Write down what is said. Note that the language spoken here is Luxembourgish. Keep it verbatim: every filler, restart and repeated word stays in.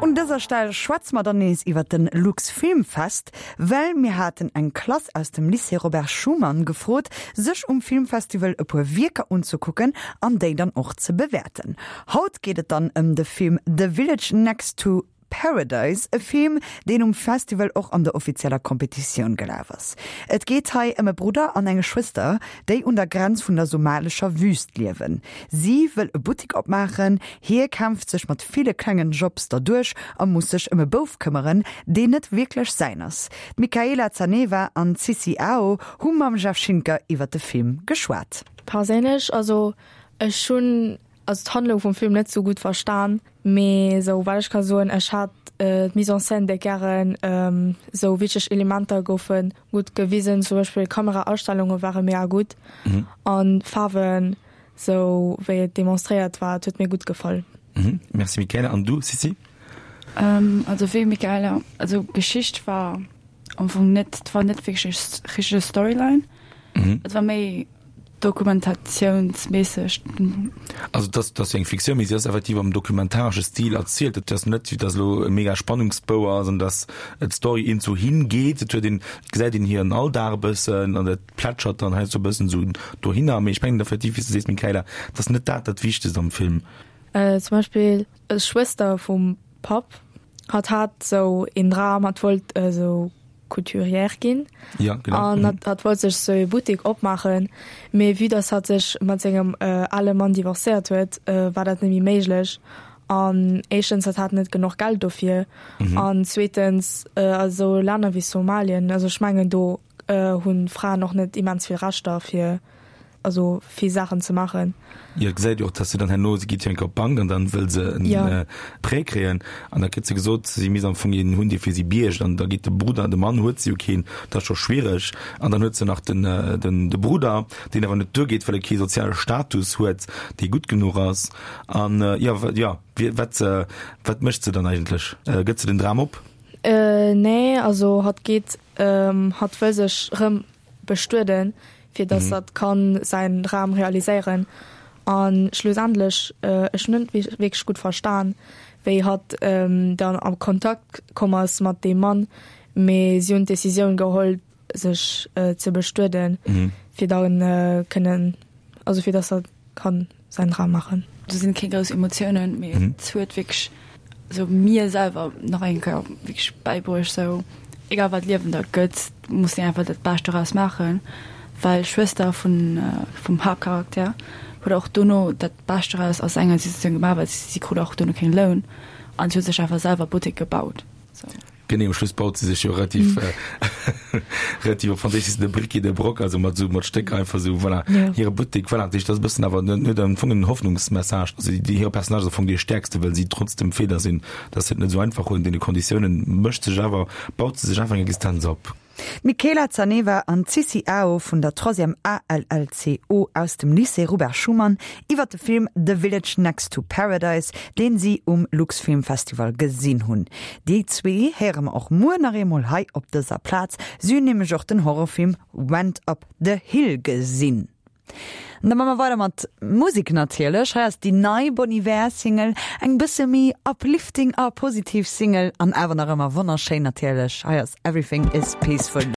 Un dëser Stell schwätze mer dann nees iwwer den Lux Filmfest, well mir haten eng Klass aus dem Lycée Robert Schuman gefrot, sech um Filmfestival e puer Wierker unzekucken an déi dann och ze bewäerten. Haut geet et dann ëm de Film The Village Next to Paradise, e Film, deen um Festival och an der offizieller Kompetitioun gelaf ass. Et geet hei ëm e Brudder an eng Schwëster, déi un der Grenz vun der somalescher Wüst liewen. Si wëll e Buttek opmaachen, hie kämpft sech mat ville klengen Jobs derduerch a muss sech ëm e Bouf këmmeren, deen net wierklech säin ass. D'Michaela Zaneva an d'Sissi Ao hu mam Jeff Schinker iwwer de Film geschwat. Perséinlech, also ech hunn also d'Handlung vum Film net sou gutt verstan, mee sou wat ech ka soen, ech hat d'Mise en scène déck gären, sou wichteg Elementer goufe gutt gewisen, zum Beispill Kameraastellunge ware mega gutt an d'Faarwen, sou wéi et demonstréiert war, et huet mir gutt gefall. Merci Michaela. An du Sissi? Also wéi Michaela, also d'Geschicht war am Fong net, et war net wierklech richteg Storyline, et war méi Dokumentatiounsméisseg. Also et ass, et ass jo eng Fiktioun, mee si ass effektiv am dokumentaresche Stil erzielt. Et ass net, wéi datt elo e mega Spannungsbou ass an datt d'Story iergendwou hingeet. Et huet een, et gesäit een hiren Alldag e bëssen an dat plätschert dann heiansdo e bëssen esou dohinner. Mee ech mengen effektiv, wéi s de sees, Michaela, et ass net dat dat Wichtegst am Film. Zum Beispill d'Schwëster vum Papp, hatt hat esou een Dram, hatt wollt esou Couturière ginn. Ja, genau. An hatt, hatt wollt sech sou e Buttek opmaachen, mee vue dass hatt sech mat sengem ale Mann divorcéiert huet, war dat net méi méiglech. An éischtens, hatt hat net genuch Geld dofir. An zweetens, a sou Länner wéi Somalien, also ech mengen do hunn Fraen och net immens vill Rechter fir also vill Saachen ze maachen. Jo, et gesäit jo och, dass se dann herno, si geet jo eng Kéier op d'Bank an dann wëll se en Ja. Prêt kréien an da kritt se gesot, si misst am Fong een hunn, dee fir si biergt an da geet de Brudder, de Mann huet se jo keen, dat ass scho schwiereg an dann huet se nach den, den, de Brudder, deen awer net duergeet, well e kee soziale Status huet, dee gutt genuch ass an jo, jo, wat, wat mécht se dann eigentlech? Gëtt se den Dram op? Nee, also hatt geet, hatt wëll sech rëm bestueden, fir dass hatt kann säin Dram realiséieren. A schlussendlech, ech hunn net wierklech gutt verstan, wéi hatt dann a Kontakt komm ass mat deem Mann, mee si hunn d'Decisioun geholl, sech ze bestueden, fir da kënnen, also fir dass hatt kann säin Dram maachen. Do sinn keng grouss Emotiounen, mee et huet wierklech sou mir selwer nach eng Kéier wierklech bäibruecht, sou egal wat d'Liewen der gëtt, muss een einfach dat Bescht doraus maachen, well d'Schwëster vun vum Haaptcharakter huet och dono dat Bescht doraus aus enger Situatioun gemaach, well si krut och dono keng Loun an si huet sech einfach selwer Buttek gebaut. Sou. Genee, um Schluss baut se sech jo relativ relativ op Franséisch heescht et de Bric et de Broc, also mat esou mat Stéck einfach esou, voilà, hire Buttek, voilà. Dat heescht, dat ass e bëssen awer net net am Fong en Hoffnungsmessage. Also déi hire Personnage ass am Fong dee stäerkste, well si trotz dem Feeler sinn, dass se et net esou einfach hunn an deene Konditiounen, mécht sech awer, baut se sech einfach eng Existenz op. D'Michaela Zaneva an d'Sissi Ao vun der Troisième A L L C O aus dem Lycée Robert Schuman iwwer de Film The Village Next to Paradise, deen si um Luxfilmfestival gesinn hunn. Déi zwee héiere mer och muer nach eemol hei op dëser Plaz. Si hunn nämlech och den Horrorfilm Went Up the Hill gesinn. An da maache mer weider mat Musek natierlech. Hei ass déi nei Bon Iver Single, eng bësse méi uplifting a positiv Single an awer nach ëmmer wonnerschéin natierlech. Hei ass Everything is Peaceful.